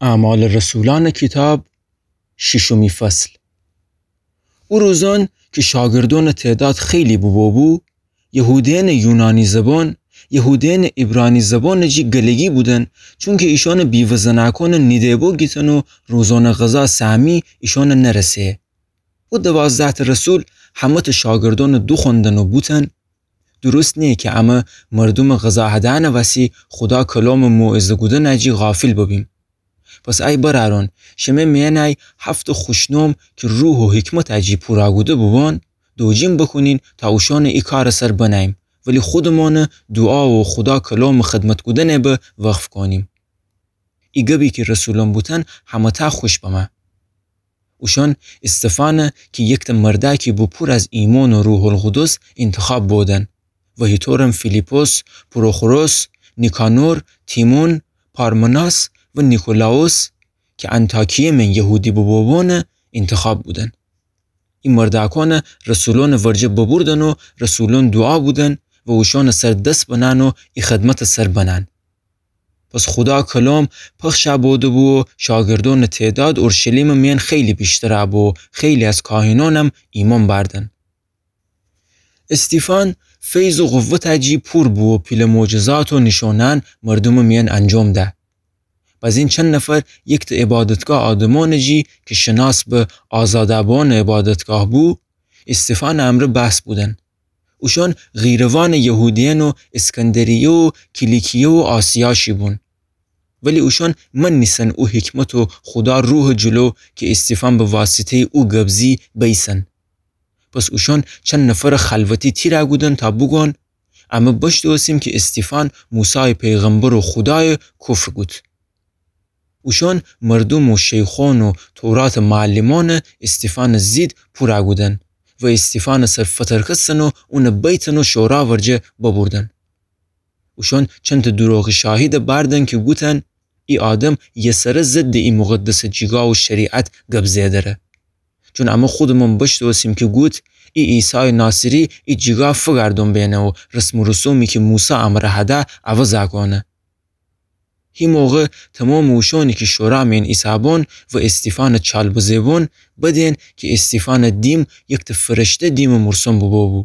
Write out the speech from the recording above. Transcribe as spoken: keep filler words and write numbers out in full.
اعمال رسولأنٚ کیتاب، شیشمی فصل. او روزأن کی شاگردأنٚ تعداد خیلی بوبوبو، یهودیأنٚ یونانی زبان، یهودیأنٚ عبرانی زبانٚ جی گلگی بودن، چونکی ایشأنٚ بیوه زنأکأنٚ نیده‌بو گیتن و روزأنٚ غذا سهمی ایشأنٚ نرسه. او دوازده‌تأ رسول همه‌تأ شاگردأنٚ دوخوأندن و بوتن: درست نییه کی امه مردومٚ غذا هدأنٚ وسی خودا کلامٚ موعظه کودنٚ جی غافل ببیم. پس ای برأرأن، شمه میأنی هفتأ خوشنام کی روح و حکمتٚ جی پورا کوده بوبان، دوجین بوکونین تا اوشأنٚ ای کارٚ سر بنأییم، ولی خودمأنٚ دوعا و خودا کلامٚ خدمت کودنٚ به وقف کونیم. ای گبی کی رسولأن بوتن همه‌تأ خوش بمه. اوشأن استفانٚ کی یکتأ مردأکی بو پور از ایمأن و روح‌القدس انتخاب بودن و هیطورم فیلیپس، پروخوروس، نیکانور، تیمون، پارمناس و نیکولاوس کی انطاکیه من یهودی بوبوبانٚ انتخاب بودن. ای مردأکأن رسولأنٚ ورجه ببردن و رسولأن دوعا کودن و اوشأنٚ سر دس بنأن و ای خدمتٚ سر بنأن. پس خودا کلام پخش بوده‌بو و شاگردأنٚ تعداد اورشلیمٚ میأن خیلی ویشتر بو و خیلی از کاهنأنم ایمأن بأردن. استیفان فیض و قوتٚ جی پور بو و پیله معجزات و نیشأنأن مردومٚ میأن انجام ده. بزین چند نفر یکتأ عبادتگاه آدمأنٚ جی کی شناس به آزاده‌بانٚ عبادتگاه بو، استیفانٚ امرأ بحث بودن. اوشأن قیروانٚ یهودیأن و اسکندریه و کیلیکیه و آسیا شی بون. ولی اوشأن منیسن او حکمت و خودا روحٚ جلو کی استیفان به واسطه‌یٚ او گب زی بیسن. پس اوشأن چند نفرٚ خلوتی تیرَ کودن تا بوگوأن: امه بشتوسیم کی استیفان موسایٚ پیغمبر و خودایَ کفر کود. اوشأن مردوم و شیخأن و توراتٚ معلمأنَ استیفانٚ ضد پورَ کودن و استیفانٚ سر فترکستن و اونَ بیتن و شورا ورجه ببردن. اوشأن چندتأ دروغٚ شاهیدَ بأردن کی گوتن: ای آدم یسره ضدٚ ای مقدسٚ جیگا و شریعت گب زئه دره. چون امه خودمأن بشتوسیم کی گوت: ای عیسایٚ ناصری ای جیگا فگردون بینه و رسم و رسومی کی موسی امره هده عوضَ کونه. هی موقع تومامٚ اوشأنی کی شورا مین ایسه‌بون و استیفانٚ چال بزه‌بون بدین کی استیفانٚ دیم یکتأ فرشته دیمٚ مرسوم بوبو.